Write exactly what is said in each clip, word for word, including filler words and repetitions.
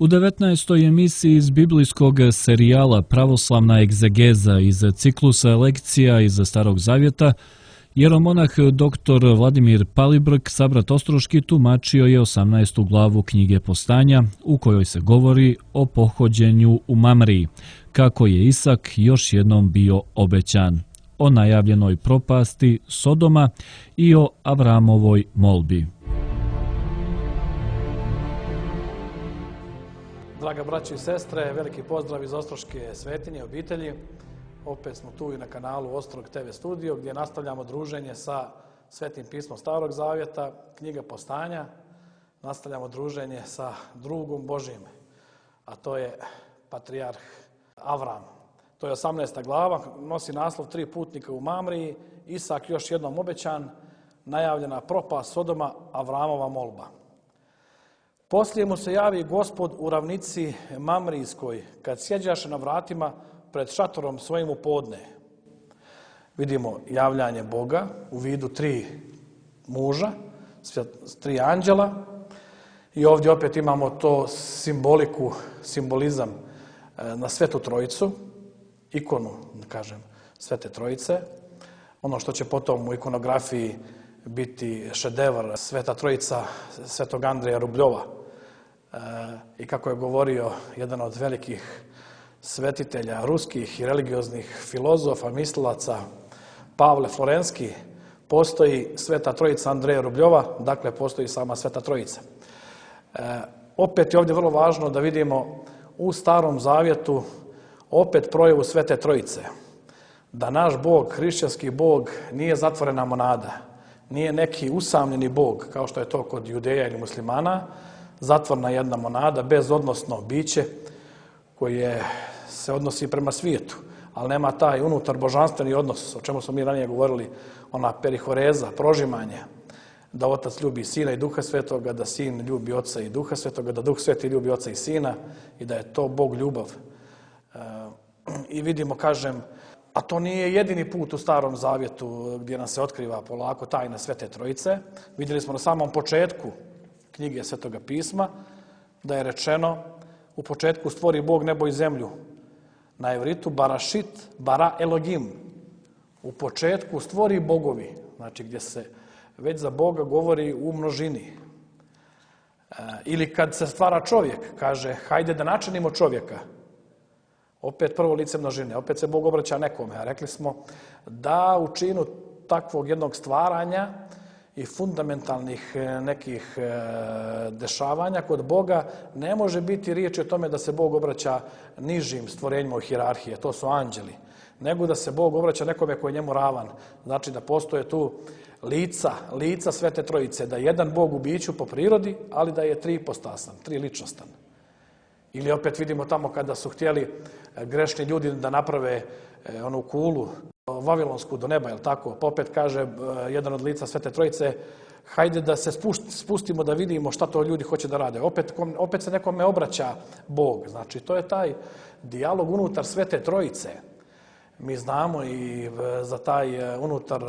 U devetnaestoj emisiji iz biblijskog serijala Pravoslavna egzegeza iz ciklusa lekcija iz Starog Zavjeta, jeromonah doktor Vladimir Palibrk, sabrat Ostroški, tumačio je osamnaestu glavu knjige Postanja, u kojoj se govori o pohođenju u Mamriji, kako je Isak još jednom bio obećan, o najavljenoj propasti Sodoma i o Avramovoj molbi. Draga braćo i sestre, veliki pozdrav iz Ostroške svetinje obitelji. Opet smo tu i na kanalu Ostrog te ve studio gdje nastavljamo druženje sa Svetim pismom Starog Zavjeta, knjiga Postanja. Nastavljamo druženje sa drugom Božjim, a to je patrijarh Avram. To je osamnaesta glava, nosi naslov Tri putnika u Mamriji, Isak još jednom obećan, najavljena propast Sodoma, Avramova molba. Poslije mu se javi Gospod u ravnici Mamrijskoj, kad sjeđaše na vratima pred šatorom svojim u podne. Vidimo javljanje Boga u vidu tri muža, tri anđela, i ovdje opet imamo to simboliku, simbolizam na Svetu Trojicu, ikonu, da kažem, Svete Trojice. Ono što će potom u ikonografiji biti šedevr Sveta Trojica Svetog Andreja Rubljova. E, I kako je govorio jedan od velikih svetitelja ruskih i religioznih filozofa, mislilaca, Pavle Florenski, postoji Sveta Trojica Andreja Rubljova, dakle postoji sama Sveta Trojica. E, opet je ovdje vrlo važno da vidimo u Starom Zavjetu opet projavu Svete Trojice. Da naš Bog, hrišćanski Bog, nije zatvorena monada, nije neki usamljeni Bog, kao što je to kod Judeja ili muslimana, zatvorna jedna monada, bezodnosno biće koje se odnosi prema svijetu, ali nema taj unutar božanstveni odnos, o čemu smo mi ranije govorili, ona perihoreza, prožimanje, da Otac ljubi Sina i Duha Svetoga, da Sin ljubi Oca i Duha Svetoga, da Duh Sveti ljubi Oca i Sina i da je to Bog ljubav. E, I vidimo, kažem, a to nije jedini put u Starom Zavjetu gdje nam se otkriva polako tajna Svete Trojice. Vidjeli smo na samom početku knjige Svetoga pisma da je rečeno u početku stvori Bog nebo i zemlju. Na evritu barashit bara Elohim. U početku stvori bogovi, znači gdje se već za Boga govori u množini. E, ili kad se stvara čovjek, kaže hajde da načinimo čovjeka. Opet prvo lice množine, opet se Bog obraća nekome. A rekli smo da u činu takvog jednog stvaranja i fundamentalnih nekih dešavanja kod Boga ne može biti riječ o tome da se Bog obraća nižim stvorenjima u hijerarhije, to su anđeli, nego da se Bog obraća nekome koji je njemu ravan. Znači da postoje tu lica, lica Svete Trojice, da je jedan Bog u biću po prirodi, ali da je tri ipostasan, tri ličnostan. Ili opet vidimo tamo kada su htjeli grešni ljudi da naprave onu kulu vavilonsku do neba, je li tako? Pa opet kaže jedan od lica Svete Trojice, hajde da se spustimo da vidimo šta to ljudi hoće da rade. Opet, opet se nekome obraća Bog. Znači, to je taj dijalog unutar Svete Trojice. Mi znamo i za taj unutar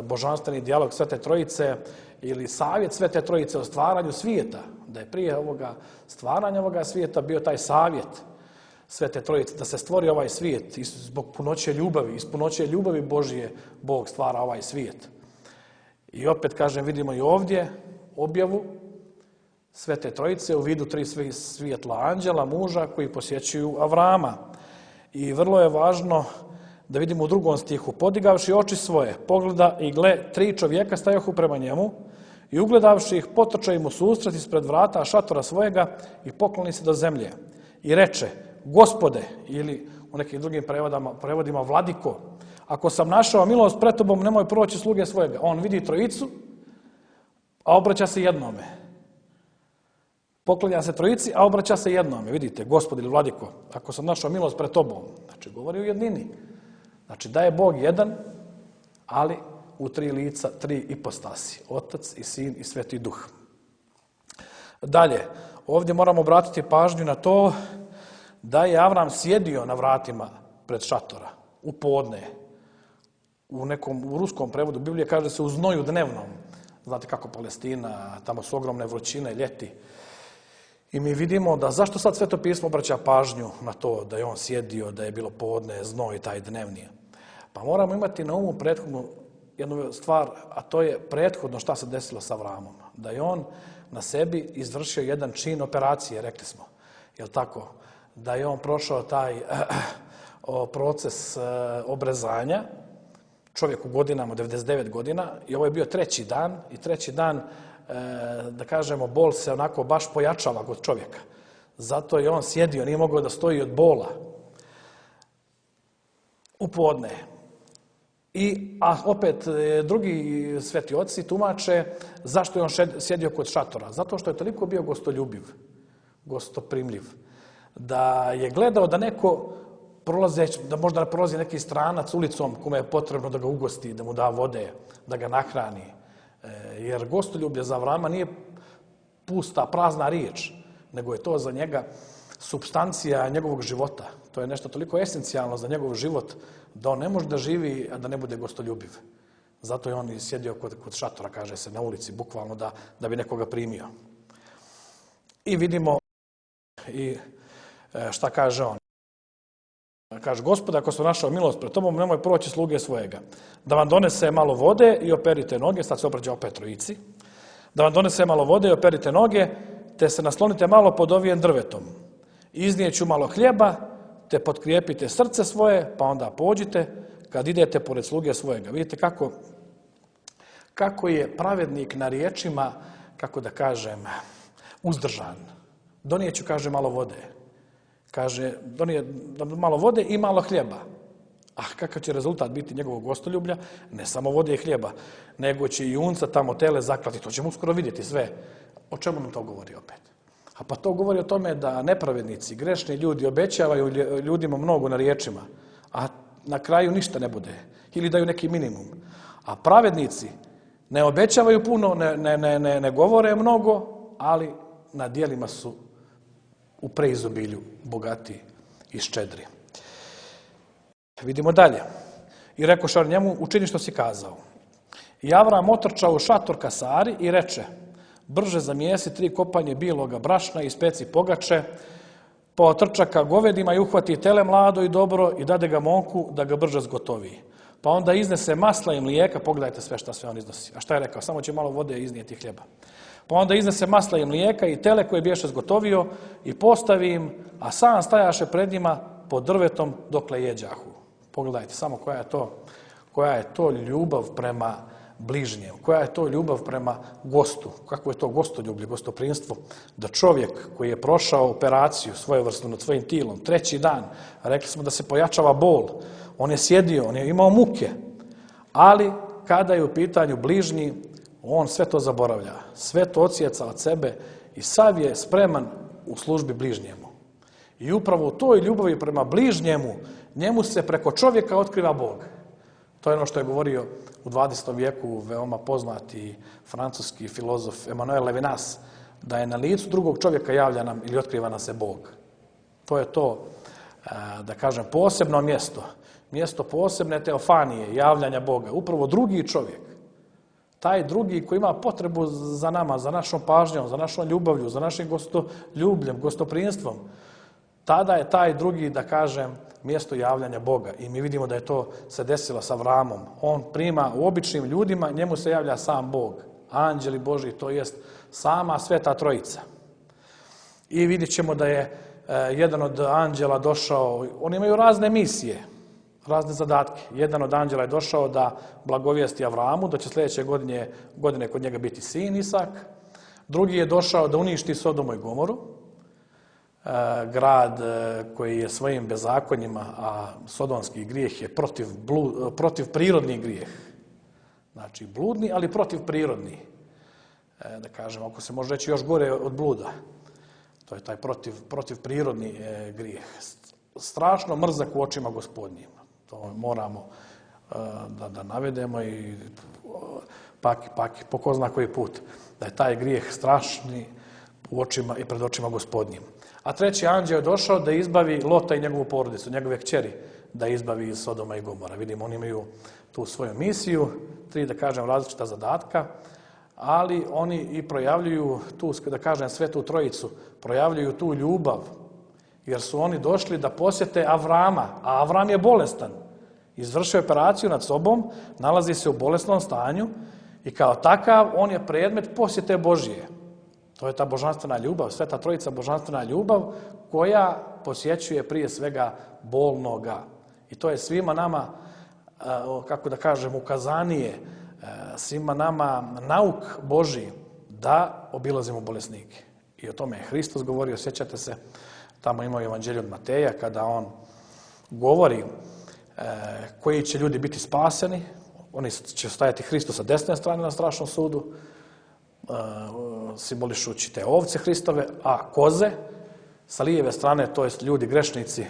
božanstveni dijalog Svete Trojice ili savjet Svete Trojice o stvaranju svijeta, da je prije ovoga stvaranja ovoga svijeta bio taj savjet Svete Trojice, da se stvori ovaj svijet zbog punoće ljubavi, iz punoće ljubavi Božije Bog stvara ovaj svijet. I opet, kažem, vidimo i ovdje objavu Svete Trojice u vidu tri svjetla anđela, muža koji posjećuju Avrama. I vrlo je važno da vidimo u drugom stihu, podigavši oči svoje, pogleda i gle, tri čovjeka stajohu prema njemu i ugledavši ih, potrča im u susret ispred vrata šatora svojega i pokloni se do zemlje. I reče, Gospode, ili u nekim drugim prevodima, prevodima Vladiko, ako sam našao milost pred tobom, nemoj proći sluge svojega. On vidi trojicu, a obraća se jednome. Poklanja se trojici, a obraća se jednome. Vidite, Gospod ili Vladiko, ako sam našao milost pred tobom, znači govori u jednini. Znači da je Bog jedan, ali u tri lica, tri ipostasi. Otac i Sin i Sveti Duh. Dalje, ovdje moramo obratiti pažnju na to da je Avram sjedio na vratima pred šatora, u podne. U nekom u ruskom prevodu Biblije kaže da se u znoju dnevnom. Znate kako Palestina, tamo su ogromne vrućine, ljeti. I mi vidimo da zašto sad Sveto pismo obraća pažnju na to da je on sjedio, da je bilo podne, znoj taj dnevni. Pa moramo imati na umu prethodnu jednu stvar, a to je prethodno šta se desilo sa Avramom. Da je on na sebi izvršio jedan čin operacije, rekli smo. Jel tako? Da je on prošao taj proces obrezanja, čovjek u godinama, devedeset devet godina, i ovo je bio treći dan, i treći dan, da kažemo, bol se onako baš pojačava kod čovjeka. Zato je on sjedio, nije mogao da stoji od bola u podne. I, a opet drugi sveti oci tumače zašto je on sjedio kod šatora. Zato što je toliko bio gostoljubiv, gostoprimljiv, da je gledao da neko prolazeć, da možda prolazi neki stranac ulicom kome je potrebno da ga ugosti, da mu da vode, da ga nahrani. Jer gostoljublje za Avrama nije pusta, prazna riječ, nego je to za njega supstancija njegovog života. To je nešto toliko esencijalno za njegov život da on ne može da živi, a da ne bude gostoljubiv. Zato je on i sjedio kod, kod šatora, kaže se, na ulici, bukvalno da, da bi nekoga primio. I vidimo i šta kaže on. Kaže, Gospode, ako sam našao milost pred tobom, nemoj proći sluge svojega. Da vam donese malo vode i operite noge, sad se obraća opet trojici. Da vam donese malo vode i operite noge, te se naslonite malo pod ovijem drvetom. Iznijeću malo hljeba, te potkrijepite srce svoje, pa onda pođite kad idete pored sluge svojega. Vidite kako, kako je pravednik na riječima, kako da kažem, uzdržan. Donijeću, kaže, malo vode. Kaže, donije malo vode i malo hljeba. A kakav će rezultat biti njegovog gostoljublja? Ne samo vode i hljeba, nego će i junca tamo tele zaklati. To ćemo uskoro vidjeti sve. O čemu nam to govori opet? A pa to govori o tome da nepravednici, grešni ljudi obećavaju ljudima mnogo na riječima, a na kraju ništa ne bude. Ili daju neki minimum. A pravednici ne obećavaju puno, ne, ne, ne, ne govore mnogo, ali na djelima su u preizobilju bogati i ščedri. Vidimo dalje. I rekoše njemu, učini što si kazao. I Avram otrčao u šator ka Sari i reče, brže zamijesi tri kopanje bijeloga brašna i ispeci pogače, pa otrča ka govedima i uhvati tele mlado i dobro i dade ga momku da ga brže zgotovi. Pa onda iznese masla i mlijeka, pogledajte sve šta sve on iznosi. A šta je rekao? Samo će malo vode iznijeti hljeba. Pa onda iznese masla i mlijeka i tele koje biješe zgotovio i postavi im, a sam stajaše pred njima pod drvetom dokle jeđahu. Pogledajte samo koja je to, koja je to ljubav prema bližnjem, koja je to ljubav prema gostu, kako je to gostoljublje, gostoprimstvo, da čovjek koji je prošao operaciju svojevrsnu nad svojim tilom, treći dan, rekli smo da se pojačava bol, on je sjedio, on je imao muke, ali kada je u pitanju bližnji, on sve to zaboravlja, sve to odsjeca od sebe i sav je spreman u službi bližnjemu. I upravo u toj ljubavi prema bližnjemu, njemu se preko čovjeka otkriva Bog. To je ono što je govorio u dvadesetom vijeku veoma poznati francuski filozof Emmanuel Levinas, da je na licu drugog čovjeka javlja nam ili otkriva nam se Bog. To je to, da kažem, posebno mjesto, mjesto posebne teofanije, javljanja Boga. Upravo drugi čovjek, taj drugi koji ima potrebu za nama, za našom pažnjom, za našom ljubavlju, za našim gostoljubljem, gostoprimstvom, tada je taj drugi, da kažem, mjesto javljanja Boga. I mi vidimo da je to se desilo sa Avramom. On prima u običnim ljudima, njemu se javlja sam Bog. Anđeli Božji, to jest sama Sveta Trojica. I vidjet ćemo da je e, jedan od anđela došao, oni imaju razne misije, razne zadatke. Jedan od anđela je došao da blagovijesti Avramu, da će sljedeće godine, godine kod njega biti sin Isak. Drugi je došao da uništi Sodomu i Gomoru, grad koji je svojim bezakonjima, a sodomski grijeh je protiv, blud, protiv prirodni grijeh. Znači bludni, ali protiv prirodni. Da kažem, ako se može reći još gore od bluda. To je taj protiv, protiv prirodni grijeh. Strašno mrzak u očima Gospodnjim. To moramo da, da navedemo i pak, pak po ko zna koji put. Da je taj grijeh strašni u očima i pred očima Gospodnjim. A treći anđeo je došao da izbavi Lota i njegovu porodicu, njegove kćeri, da izbavi iz Sodoma i Gomora. Vidimo, oni imaju tu svoju misiju, tri, da kažem, različita zadatka. ali oni i projavljuju tu, da kažem, Svetu Trojicu, projavljuju tu ljubav, jer su oni došli da posjete Avrama, a Avram je bolestan. Izvršio operaciju nad sobom, nalazi se u bolesnom stanju i kao takav on je predmet posjete Božije. To je ta božanstvena ljubav, Sveta Trojica božanstvena ljubav koja posjećuje prije svega bolnoga. I to je svima nama, kako da kažem, ukazanije, svima nama nauk Božji da obilazimo bolesnike. I o tome je Hristos govorio, sjećate se, tamo ima Evanđelje od Mateja, kada on govori koji će ljudi biti spaseni, oni će stajati Hristu sa desne strane na strašnom sudu, simbolišući te ovce Hristove, a koze sa lijeve strane, to jest ljudi grešnici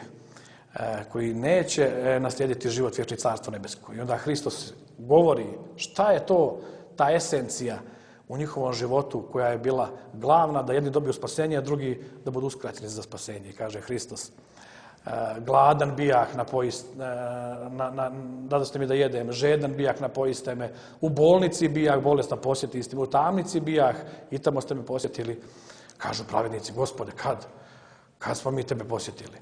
koji neće naslijediti život vječni, carstvo nebesko. I onda Hristos govori šta je to, ta esencija u njihovom životu koja je bila glavna, da jedni dobiju spasenje, a drugi da budu uskraćeni za spasenje. I kaže Hristos, gladan bijah, dadoste mi da jedem, žedan bijah, napojiste me, u bolnici bijah, bolestan posjetiste me, u tamnici bijah, i tamo ste me posjetili. Kažu pravednici, Gospode, kad? Kad smo mi tebe posjetili?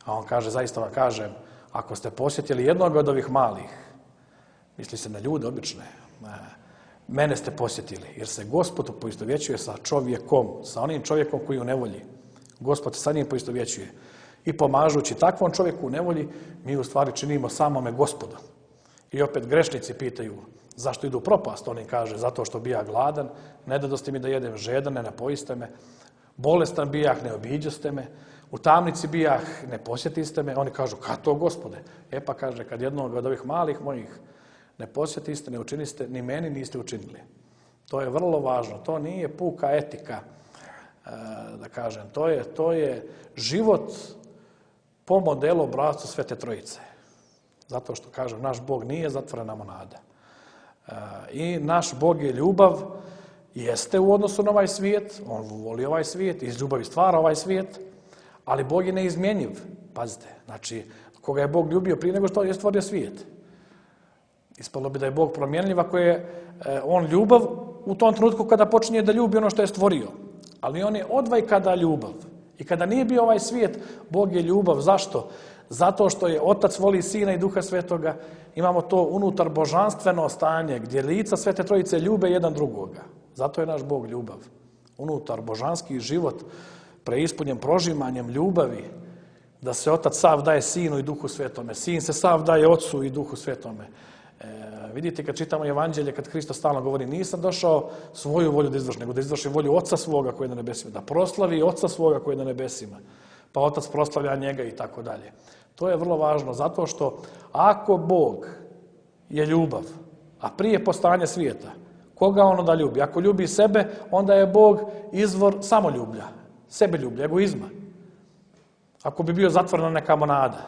A on kaže, zaista vam kažem, ako ste posjetili jednog od ovih malih, misli se na ljude obične, mene ste posjetili, jer se Gospod poistovjećuje sa čovjekom, sa onim čovjekom koji je u nevolji. Gospod sa njim poistovjećuje. I pomažući takvom čovjeku u nevolji, mi u stvari činimo samome Gospoda. I opet grešnici pitaju, zašto idu u propast? On im kaže, zato što bija gladan, ne dadoste mi da jedem, žedan, ne napojiste me, bolestan bijah, ne obiđoste me, u tamnici bijah, ne posjetiste me. Oni kažu, kad to, Gospode? E pa kaže, kad jednog od ovih malih mojih ne posjetiste, ne učiniste, ni meni niste učinili. To je vrlo važno. To nije puka etika, da kažem. To je, to je život po modelu obrascu Svete Trojice. Zato što, kažem, naš Bog nije zatvorena monada. I naš Bog je ljubav, jeste u odnosu na ovaj svijet, on voli ovaj svijet, iz ljubavi stvara ovaj svijet, ali Bog je neizmjenjiv. Pazite, znači, koga je Bog ljubio prije nego što je stvorio svijet. Ispalo bi da je Bog promjenljiv ako je on ljubav u tom trenutku kada počinje da ljubi ono što je stvorio. Ali on je odvaj kada ljubav. I kada nije bio ovaj svijet, Bog je ljubav. Zašto? Zato što je Otac voli Sina i Duha Svetoga. Imamo to unutar božanstveno stanje gdje lica Svete Trojice ljube jedan drugoga. Zato je naš Bog ljubav. Unutar božanski život preispunjen prožimanjem ljubavi, da se Otac sav daje Sinu i Duhu Svetome. Sin se sav daje Otcu i Duhu Svetome. E, vidite, kad čitamo Evanđelje, kad Hristos stalno govori, nisam došao svoju volju da izvrši, nego da izvrši volju Oca svoga koji je na nebesima, da proslavi Oca svoga koji je na nebesima, pa Otac proslavlja njega i tako dalje. To je vrlo važno, zato što ako Bog je ljubav, a prije postojanja svijeta, koga on onda ljubi? Ako ljubi sebe, onda je Bog izvor samoljublja, sebeljublja, egoizma. Ako bi bio zatvorena neka monada.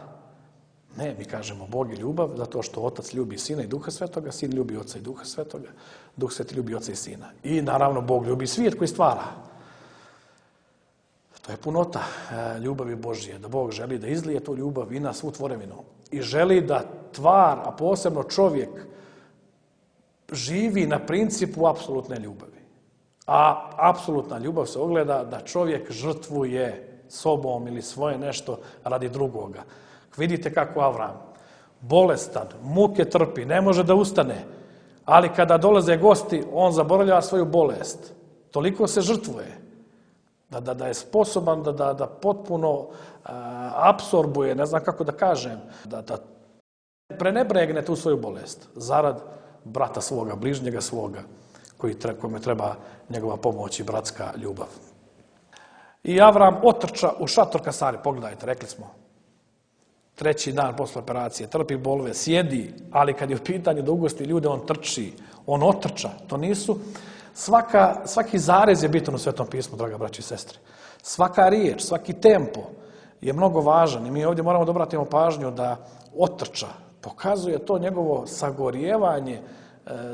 Ne, mi kažemo Bog je ljubav zato što Otac ljubi Sina i Duha Svetoga, Sin ljubi Oca i Duha Svetoga, Duh Sveti ljubi Oca i Sina. I naravno Bog ljubi svijet koji stvara. To je punota ljubavi Božje, da Bog želi da izlije tu ljubav i na svu tvorevinu. I želi da tvar, a posebno čovjek, živi na principu apsolutne ljubavi. A apsolutna ljubav se ogleda da čovjek žrtvuje sobom ili svoje nešto radi drugoga. Vidite kako Avram, bolestan, muke trpi, ne može da ustane, ali kada dolaze gosti, on zaboravlja svoju bolest. Toliko se žrtvuje da, da, da je sposoban da, da, da potpuno a, apsorbuje, ne znam kako da kažem, da, da prenebregne tu svoju bolest zarad brata svoga, bližnjega svoga, koji tre, kome treba njegova pomoć i bratska ljubav. I Avram otrča u šator Kasari, pogledajte, rekli smo, treći dan posle operacije, trpi bolove, sjedi, ali kad je u pitanju da ugosti ljude, on trči, on otrča. To nisu, svaka, svaki zarez je bitan u Svetom pismu, draga braći i sestre. Svaka riječ, svaki tempo je mnogo važan i mi ovdje moramo da obratimo pažnju da otrča. Pokazuje to njegovo sagorijevanje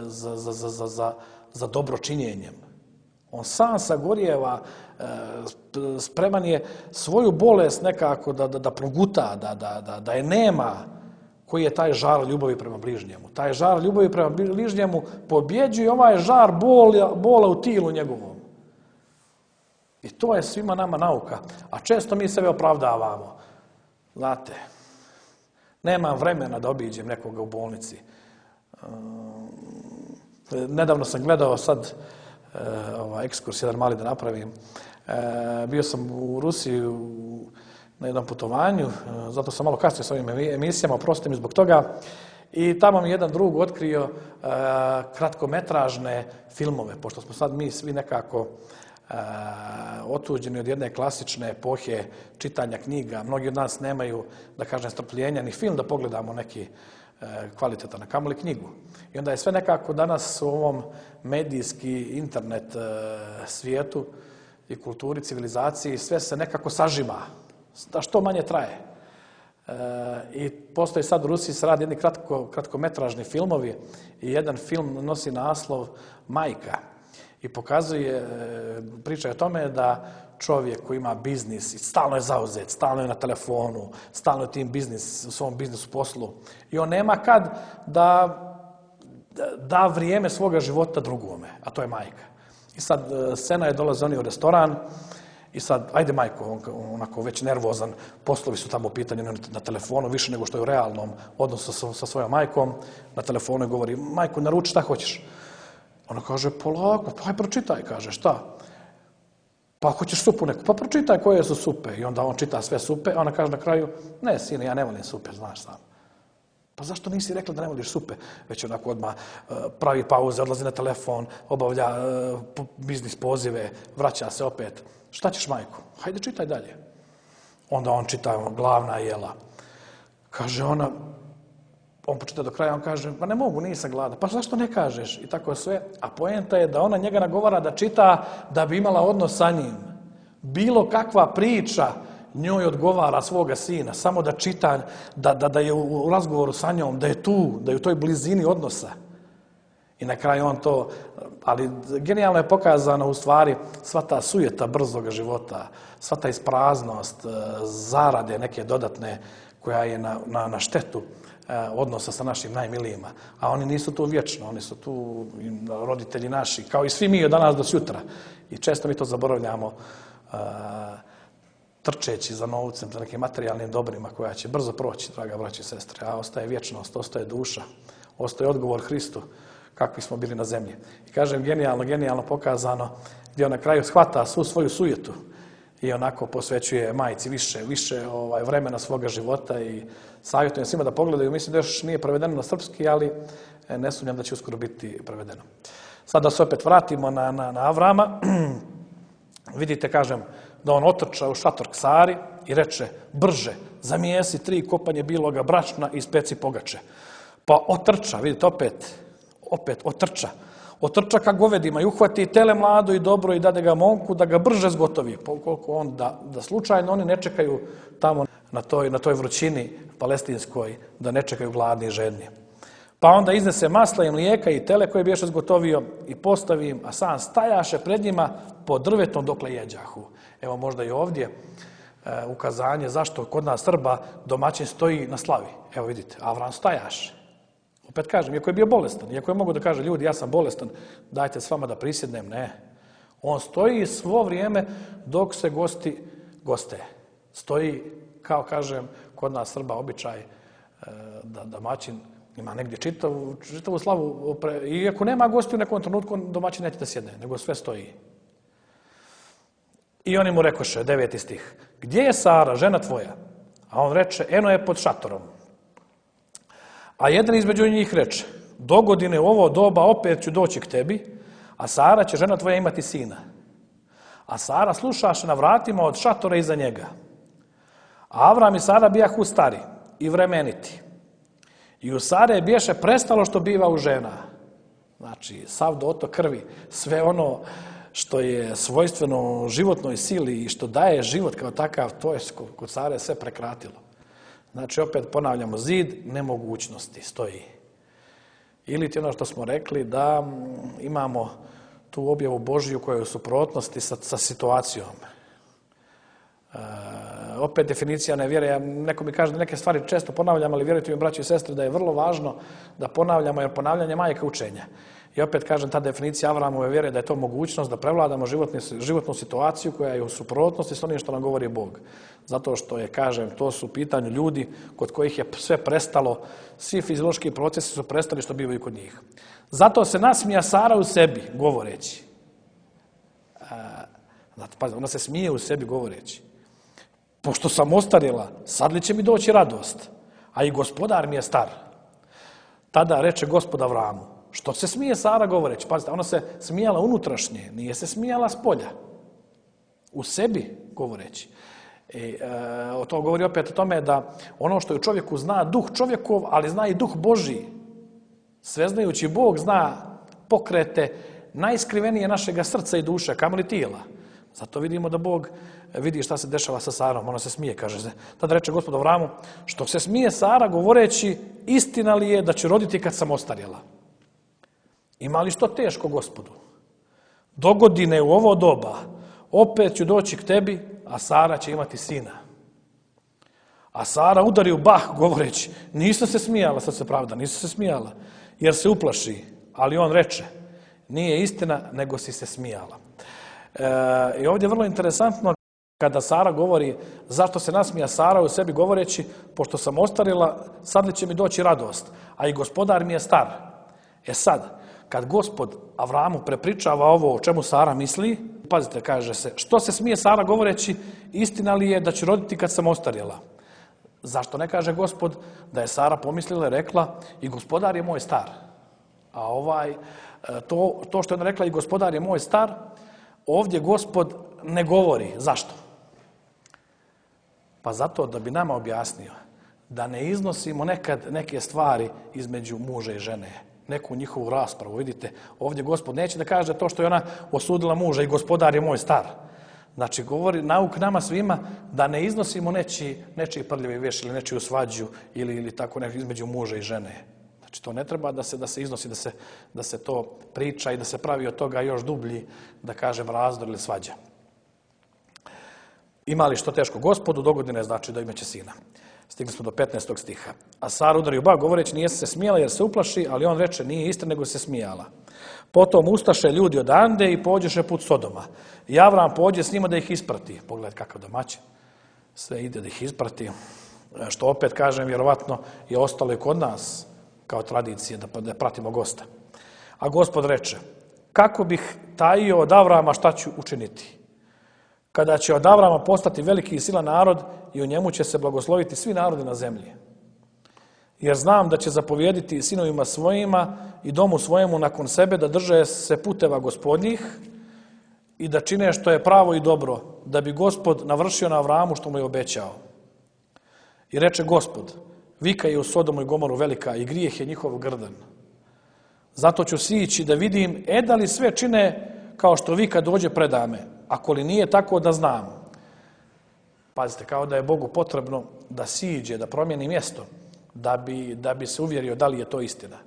za, za, za, za, za, za dobročinjenjem. On sam sagorijeva, spreman je svoju bolest nekako da, da, da proguta, da, da, da, da je nema, koji je taj žar ljubavi prema bližnjemu. Taj žar ljubavi prema bližnjemu pobjeđuje ovaj žar bola, bola u tilu njegovom. I to je svima nama nauka. A često mi sebe opravdavamo. Znate, nemam vremena da obiđem nekoga u bolnici. Nedavno sam gledao sad ovaj ekskurs jedan mali da napravim. Bio sam u Rusiji na jednom putovanju, zato sam malo kasnio s ovim emisijama, oprostite mi zbog toga. I tamo mi jedan drug otkrio kratkometražne filmove, pošto smo sad mi svi nekako otuđeni od jedne klasične epohe čitanja knjiga. Mnogi od nas nemaju, da kažem, strpljenja ni film da pogledamo neki kvalitetan, a kamoli knjigu. I onda je sve nekako danas u ovom medijski internet svijetu i kulturi, civilizaciji, sve se nekako sažima, da što manje traje. I postoji sad u Rusiji se radi jedni kratko, kratkometražni filmovi i jedan film nosi naslov Majka. I pokazuje, priča je o tome da čovjek koji ima biznis i stalno je zauzet, stalno je na telefonu, stalno je tim biznis, u svom biznisu poslu i on nema kad da da vrijeme svoga života drugome, a to je majka. I sad scena je dolaze oni u restoran i sad, ajde majko, on onako već nervozan, poslovi su tamo u pitanju na telefonu, više nego što je u realnom odnosu sa, sa svojom majkom, na telefonu i govori, majko, naruči šta hoćeš. Ona kaže, polako, pa aj pročitaj, kaže, šta? Pa hoćeš supu neku, pa pročitaj koje su supe. I onda on čita sve supe, a ona kaže na kraju, ne, sine, ja ne volim supe, znaš sam. Pa zašto nisi rekla da ne voliš supe? Već onako odmah pravi pauze, odlazi na telefon, obavlja biznis pozive, vraća se opet. Šta ćeš, majko? Hajde, čitaj dalje. Onda on čita glavna jela. Kaže ona, on počita do kraja, on kaže, pa ne mogu, nisam gladan. Pa zašto ne kažeš? I tako sve. A poenta je da ona njega nagovara da čita da bi imala odnos sa njim. Bilo kakva priča njoj odgovara svoga sina, samo da čita, da, da, da je u razgovoru sa njom, da je tu, da je u toj blizini odnosa. I na kraju on to, ali genijalno je pokazano u stvari sva ta sujeta brzoga života, sva ta ispraznost, zarade neke dodatne koja je na, na, na štetu odnosa sa našim najmilijima. A oni nisu tu vječno, oni su tu roditelji naši, kao i svi mi od danas do sutra. I često mi to zaboravljamo trčeći za novcem, za nekim materijalnim dobrima koja će brzo proći, draga braći i sestre, a ostaje vječnost, ostaje duša, ostaje odgovor Hristu kakvi smo bili na zemlji. I kažem, genijalno, genijalno pokazano, gdje on na kraju shvata svu svoju sujetu i onako posvećuje majci više, više ovaj, vremena svoga života i savjetujem svima da pogledaju. Mislim da još nije prevedeno na srpski, ali ne sumnjam da će uskoro biti prevedeno. Sad da se opet vratimo na, na, na Avrama. Vidite, kažem, da on otrča u šator k Sari i reče, brže, zamijesi tri kopanje biloga brašna i speci pogače. Pa otrča, vidite, opet, opet otrča. Otrča ka govedima i uhvati tele mlado i dobro i dade ga momku da ga brže zgotovi. Koliko on da, da slučajno oni ne čekaju tamo na toj, na toj vrućini palestinskoj, da ne čekaju gladni i žedni. Pa onda iznese masla i mlijeka i tele koje biješe zgotovio i postavi im, a sam stajaše pred njima pod drvetom dokle jeđahu. Evo možda i ovdje e, ukazanje zašto kod nas Srba domaćin stoji na slavi. Evo vidite, Avram stajaše. Opet kažem, iako je bio bolestan, iako je mogu da kaže, ljudi, ja sam bolestan, dajte s vama da prisjednem, ne. On stoji svo vrijeme dok se gosti goste. Stoji, kao kažem, kod nas Srba običaj da domaćin ima negdje čitavu, čitavu slavu. I ako nema gosti u nekom trenutku, domaćin neće da sjedne, nego sve stoji. I oni mu rekoše, deveti stih, gdje je Sara, žena tvoja? A on reče, eno je pod šatorom. A jedan između njih reče, do godine u ovo doba opet ću doći k tebi, a Sara će, žena tvoja, imati sina. A Sara slušaše na vratima od šatora iza njega. A Avram i Sara bijahu stari i vremeniti. I u Sare biješe prestalo što biva u žena. Znači, sav dotok krvi, sve ono što je svojstveno životnoj sili i što daje život kao takav, to je kod Sare sve prekratilo. Znači, opet ponavljamo, zid nemogućnosti stoji. Ili ti ono što smo rekli, da imamo tu objavu Božiju koja je u suprotnosti sa, sa situacijom. E, opet definicija nevjere. Ja, neko mi kaže da neke stvari često ponavljam, ali vjerujte mi, braći i sestre, da je vrlo važno da ponavljamo, jer ponavljanje majka učenja. I opet kažem, ta definicija Avraamove vjere da je to mogućnost da prevladamo životni, životnu situaciju koja je u suprotnosti s onim što nam govori Bog. Zato što je, kažem, to su u pitanju ljudi kod kojih je sve prestalo, svi fiziološki procesi su prestali što bivaju kod njih. Zato se nasmija Sara u sebi, govoreći. Pazi, ona se smije u sebi govoreći. Pošto sam ostarjela, sad li će mi doći radost? A i gospodar mi je star. Tada reče Gospod Avramu. Što se smije Sara govoreći? Pazite, ona se smijala unutrašnje, nije se smijala spolja. U sebi govoreći. I, e, to govori opet o tome da ono što je u čovjeku zna duh čovjekov, ali zna i duh Božji. Sveznajući Bog zna pokrete najskrivenije našega srca i duše, kamoli tijela. Zato vidimo da Bog vidi šta se dešava sa Sarom. Ona se smije, kaže se. Tada reče Gospod Avramu, što se smije Sara govoreći, istina li je da će roditi kad sam ostarjela? Ima li što teško, Gospodu? Dogodine u ovo doba, opet ću doći k tebi, a Sara će imati sina. A Sara udari u bah govoreći, nisam se smijala, sad se pravda, nisam se smijala, jer se uplaši. Ali on reče, nije istina, nego si se smijala. E, I ovdje je vrlo interesantno kada Sara govori, zašto se nasmija Sara u sebi govoreći, pošto sam ostarila, sad li će mi doći radost, a i gospodar mi je star. E sad, kad Gospod Avramu prepričava ovo o čemu Sara misli, pazite, kaže se, što se smije Sara govoreći, istina li je da će roditi kad sam ostarjela? Zašto ne kaže Gospod da je Sara pomislila i rekla i gospodar je moj star? A ovaj, to, to što je ona rekla i gospodar je moj star, ovdje Gospod ne govori. Zašto? Pa zato da bi nama objasnio da ne iznosimo nekad neke stvari između muža i žene, neku njihovu raspravu. Vidite, ovdje Gospod neće da kaže to što je ona osudila muža i gospodar je moj star. Znači, govori nauk nama svima da ne iznosimo nečiji, nečiji prljavi veš ili nečiju svađu ili, ili tako nešto između muža i žene. Znači, to ne treba da se, da se iznosi, da se, da se to priča i da se pravi od toga još dublji, da kažem, razdor ili svađa. Ima li što teško Gospodu, dogodine znači da imaće sina. Stigli smo do petnaestog stiha. A Sara udari u bah govoreći, nije se smijala jer se uplaši, ali on reče, nije istina, nego se smijala. Potom ustaše ljudi odande i pođeše put Sodoma. I Avram pođe s njima da ih isprati. Pogledaj kakav domaćin. Sve ide da ih isprati. Što opet kažem, vjerovatno je ostalo i kod nas kao tradicije da, da pratimo gosta. A Gospod reče, kako bih tajio od Avrama šta ću učiniti? Kada će od Avrama postati veliki i silan narod i u njemu će se blagosloviti svi narodi na zemlji. Jer znam da će zapovjediti sinovima svojima i domu svojemu nakon sebe da drže se puteva gospodnjih i da čine što je pravo i dobro, da bi Gospod navršio na Avramu što mu je obećao. I reče Gospod, vika je u Sodomu i Gomoru velika i grijeh je njihov grdan. Zato ću sići da vidim, e da li sve čine kao što vika dođe predame, ako li nije tako da znam. Pazite, kao da je Bogu potrebno da siđe, da promijeni mjesto, da bi, da bi se uvjerio da li je to istina.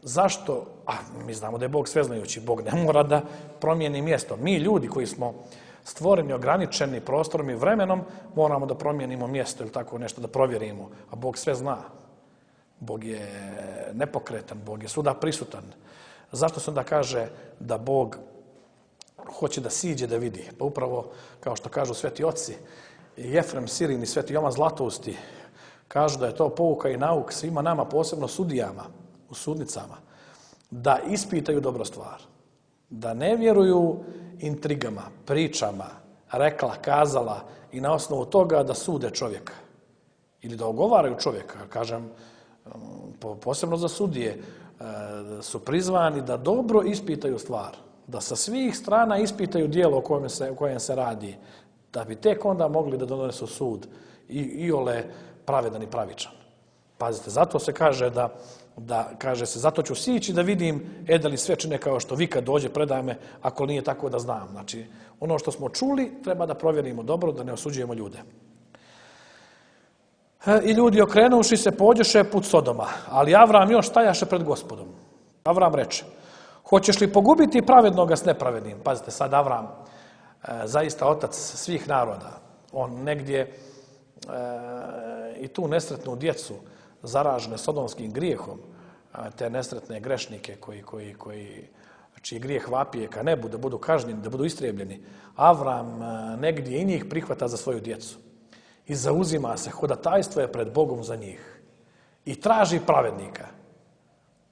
Zašto? A, mi znamo da je Bog sveznajući. Bog ne mora da promijeni mjesto. Mi ljudi koji smo stvoreni, ograničeni prostorom i vremenom, moramo da promijenimo mjesto ili tako nešto da provjerimo. A Bog sve zna. Bog je nepokretan, Bog je svuda prisutan. Zašto se onda kaže da Bog hoće da siđe da vidi? Pa upravo, kao što kažu sveti oci, Jefrem Sirin i sveti Jovan Zlatousti, kažu da je to pouka i nauk svima nama, posebno sudijama, u sudnicama, da ispitaju dobro stvar. Da ne vjeruju intrigama, pričama, rekla, kazala i na osnovu toga da sude čovjeka. Ili da ogovaraju čovjeka. Kažem, posebno za sudije, su prizvani da dobro ispitaju stvar. Da sa svih strana ispitaju dijelo o kojem se, o kojem se radi. Da bi tek onda mogli da donesu sud i iole pravedan i pravičan. Pazite, zato se kaže da, da kaže se, zato ću sići da vidim, e da li sve čine kao što vi kad dođe predaj me, ako nije tako da znam. Znači, ono što smo čuli treba da provjerimo dobro, da ne osuđujemo ljude. I ljudi okrenuši se pođeše put Sodoma, ali Avram još stajaše pred Gospodom. Avram reče, hoćeš li pogubiti pravednoga s nepravednim? Pazite, sad Avram, zaista otac svih naroda, On negdje e, i tu nesretnu djecu zaražene sodomskim grijehom, te nesretne grešnike koji, koji, koji, čiji grijeh vapije ka nebu, da budu kažnjeni, da budu istrijebljeni, Avram negdje i njih prihvata za svoju djecu i zauzima se, hodatajstvo je pred Bogom za njih i traži pravednika.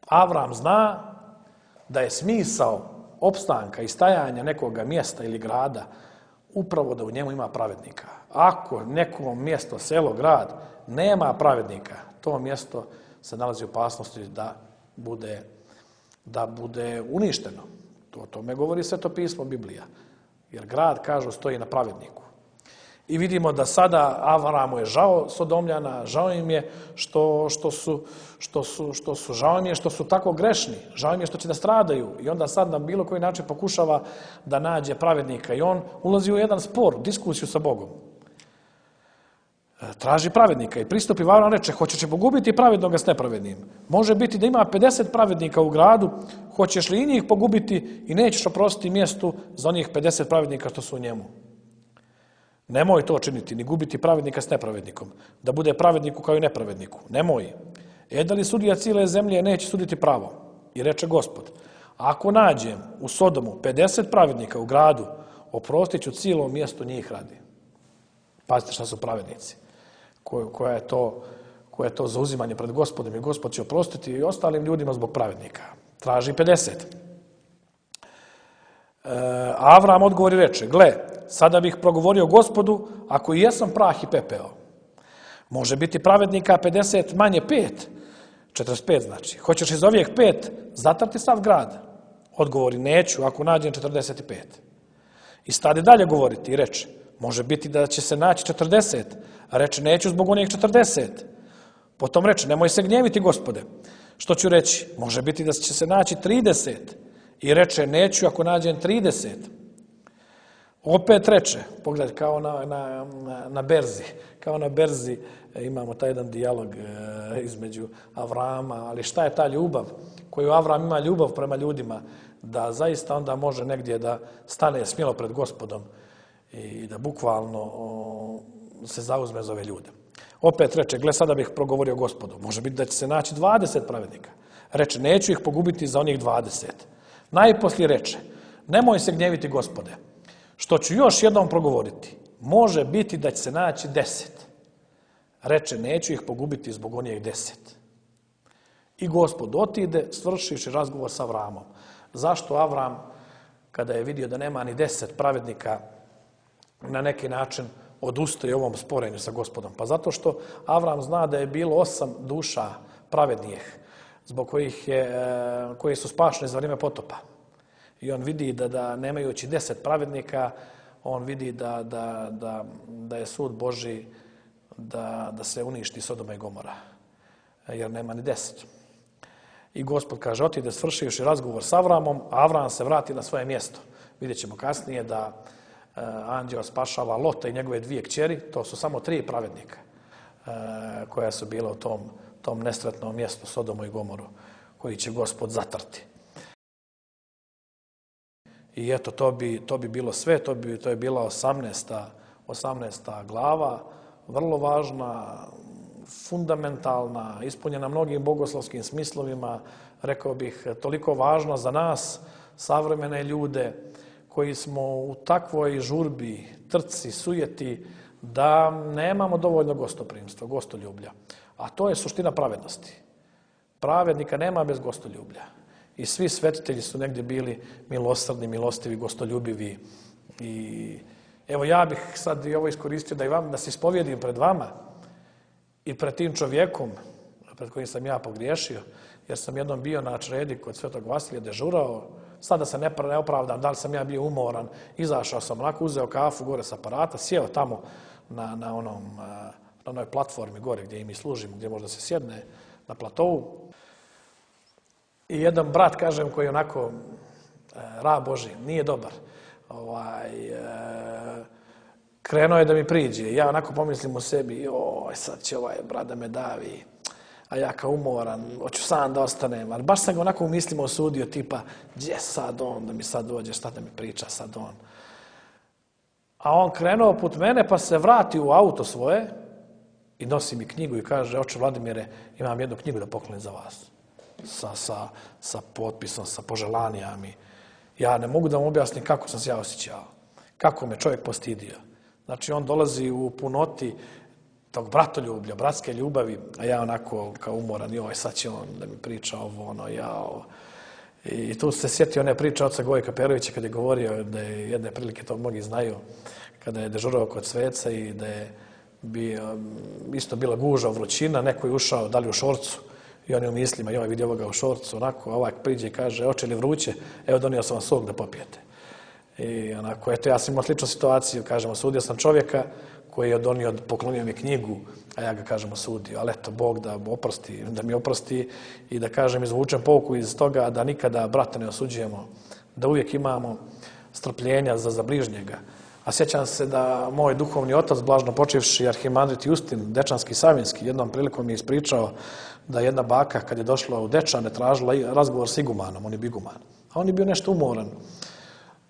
Avram zna da je smisao opstanka i stajanja nekoga mjesta ili grada upravo da u njemu ima pravednika. Ako neko mjesto, selo, grad nema pravednika, to mjesto se nalazi u opasnosti da bude, da bude uništeno. To o tome govori Sveto pismo, Biblija. Jer grad, kažu, stoji na pravedniku. I vidimo da sada Avramu je žao Sodomljana, žao im je što, što, su, što, su, što su, žao im je što su tako grešni, žao im je što će da stradaju. I onda sad na bilo koji način pokušava da nađe pravednika. I on ulazi u jedan spor, diskusiju sa Bogom. Traži pravednika i pristupi Avram, reče, hoćeš li pogubiti pravednoga s nepravednim? Može biti da ima pedeset pravednika u gradu, hoćeš li i njih pogubiti i nećeš oprostiti mjestu za onih pedeset pravednika što su u njemu? Nemoj to činiti, ni gubiti pravednika s nepravednikom, da bude pravedniku kao i nepravedniku. Nemoj. E da li sudija cijele zemlje neće suditi pravo? I reče Gospod, ako nađem u Sodomu pedeset pravednika u gradu, oprostit ću cijelom mjestu njih radi. Pazite šta su pravednici. Koja je to, koje je to zauzimanje pred Gospodom i Gospod će oprostiti i ostalim ljudima zbog pravednika. Traži pedeset. E, Avram odgovori reče, gle, sada bih progovorio Gospodu ako i jesam prah i pepeo. Može biti pravednika pedeset manje pet, četrdeset pet znači. Hoćeš iz ovih pet zatrti sav grad? Odgovori, neću ako nađem četrdeset pet. I stade dalje govoriti i reče, može biti da će se naći četrdeset, a reče, neću zbog onih četrdeset. Potom reče, nemoj se gnjeviti, Gospode. Što ću reći? Može biti da će se naći trideset. I reče, neću ako nađem trideset. Opet reče, pogledaj, kao na, na, na berzi, kao na berzi imamo taj jedan dijalog e, između Avrama, ali šta je ta ljubav koju Avram ima, ljubav prema ljudima, da zaista onda može negdje da stane smjelo pred Gospodom i da bukvalno o, se zauzme za ove ljude. Opet reče, gle, sada bih progovorio Gospodu, može biti da će se naći dvadeset pravednika. Reče, neću ih pogubiti za onih dvadeset. Najposlije reče, nemoj se gnjeviti, Gospode, što ću još jednom progovoriti, može biti da će se naći deset. Reče, neću ih pogubiti zbog onih deset. I Gospod otide, svršivši razgovor sa Avramom. Zašto Avram, kada je vidio da nema ni deset pravednika, na neki način odustaje ovom sporenju sa Gospodom? Pa zato što Avram zna da je bilo osam duša pravednijih, zbog kojih je, koji su spašeni za vrijeme potopa. I on vidi da, da nemajući deset pravednika, on vidi da, da, da, da je sud Božji da, da se uništi Sodoma i Gomora, jer nema ni deset. I Gospod kaže, otide svršivši razgovor s Avramom, a Avram se vrati na svoje mjesto. Vidjet ćemo kasnije da e, anđeo spašava Lota i njegove dvije kćeri, to su samo tri pravednika e, koja su bila u tom, tom nesretnom mjestu Sodomu i Gomoru, koji će Gospod zatrti. I eto, to bi, to bi bilo sve, to, bi, to je bila osamnaesta, osamnaesta glava, vrlo važna, fundamentalna, ispunjena mnogim bogoslovskim smislovima, rekao bih, toliko važno za nas, savremene ljude, koji smo u takvoj žurbi, trci, sujeti, da nemamo dovoljno gostoprimstva, gostoljublja. A to je suština pravednosti. Pravednika nema bez gostoljublja. I svi svetitelji su negdje bili milosrdni, milostivi, gostoljubivi. I evo, ja bih sad i ovo iskoristio da i vam, da se ispovjedim pred vama i pred tim čovjekom pred kojim sam ja pogriješio, jer sam jednom bio na čredi kod Svetog Vasilija dežurao. Sada se ne opravdam da li sam ja bio umoran, izašao sam onako, uzeo kafu gore sa aparata, sjeo tamo na, na, onom, na onoj platformi gore gdje i mi služimo, gdje možda se sjedne na platovu. I jedan brat, kažem, koji je onako e, rab Boži, nije dobar, ovaj, e, krenuo je da mi priđe. Ja onako pomislim u sebi, joj, sad će ovaj brat da me davi, a ja kao umoran, hoću sam da ostanem. Ali baš sam ga onako u mislima osudio, tipa, gdje sad on, da mi sad dođe, šta da mi priča sad on. A on krenuo put mene pa se vrati u auto svoje i nosi mi knjigu i kaže, oče Vladimire, imam jednu knjigu da poklonim za vas. Sa, sa, sa potpisom, sa poželanjami. Ja ne mogu da vam objasnim kako sam se ja osjećao. Kako me čovjek postidio. Znači, on dolazi u punoti tog bratoljublja, bratske ljubavi, a ja onako kao umoran, joj, sad će on da mi priča ovo, ono, jao. I tu se sjetio one priče oca Gojka Perovića kad je govorio da je jedne prilike, to mnogi znaju, kada je dežurao kod sveca i da je bio, isto bila guža, vrućina, neko je ušao, da li u šorcu, i on je u mislima, joj, vidi ovoga u šorcu, onako, a ovaj priđe i kaže, oče li vruće, evo donio sam vam sok da popijete. I onako, eto, ja sam imao sličnu situaciju, kažem, osudio sam čovjeka koji je donio, poklonio mi knjigu, a ja ga, kažem, osudio. Ali eto, Bog da oprosti, da mi oprosti i da, kažem, izvučem pouku iz toga da nikada brata ne osuđujemo, da uvijek imamo strpljenja za, za bližnjega. A sjećam se da moj duhovni otac, blažno počivši arhimandrit Justin, Dečanski Savinski, jednom prilikom mi je ispričao da jedna baka, kad je došla u Dečane, tražila razgovor s igumanom, on je biguman. A on je bio nešto umoran.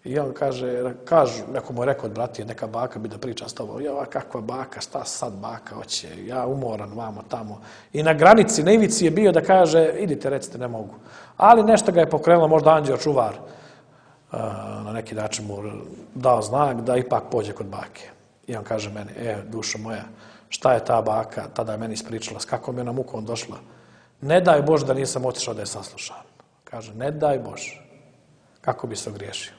I on kaže, kažu, neko mu je rekao od bratije, neka baka bi da priča s tobom. Ja, kakva baka, šta sad baka hoće, ja umoran vamo tamo. I na granici, na ivici je bio da kaže, idite, recite, ne mogu. Ali nešto ga je pokrenulo, možda anđeo čuvar, na neki način mu dao znak da ipak pođe kod bake. I on kaže meni, e, dušo moja, šta je ta baka, tada je meni ispričala, s kakvom je na mukom došla. Ne daj Bože da nisam otišao da je saslušam. Kaže, ne daj Bože, kako bi se ogriješio.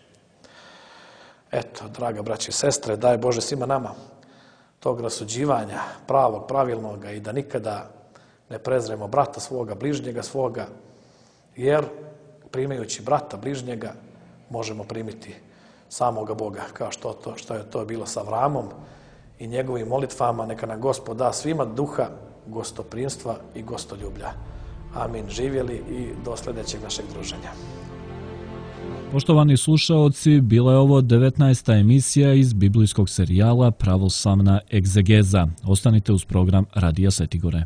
Eto, draga braći i sestre, daj Bože svima nama tog rasuđivanja pravog, pravilnoga i da nikada ne prezremo brata svoga, bližnjega svoga, jer primajući brata, bližnjega, možemo primiti samoga Boga, kao što, to, što je to bilo sa Avramom i njegovim molitvama. Neka nam Gospod da svima duha gostoprimstva i gostoljublja. Amin. Živjeli i do sljedećeg našeg druženja. Poštovani slušaoci, bila je ovo devetnaesta emisija iz biblijskog serijala Pravoslavna egzegeza. Ostanite uz program Radija Svetigore.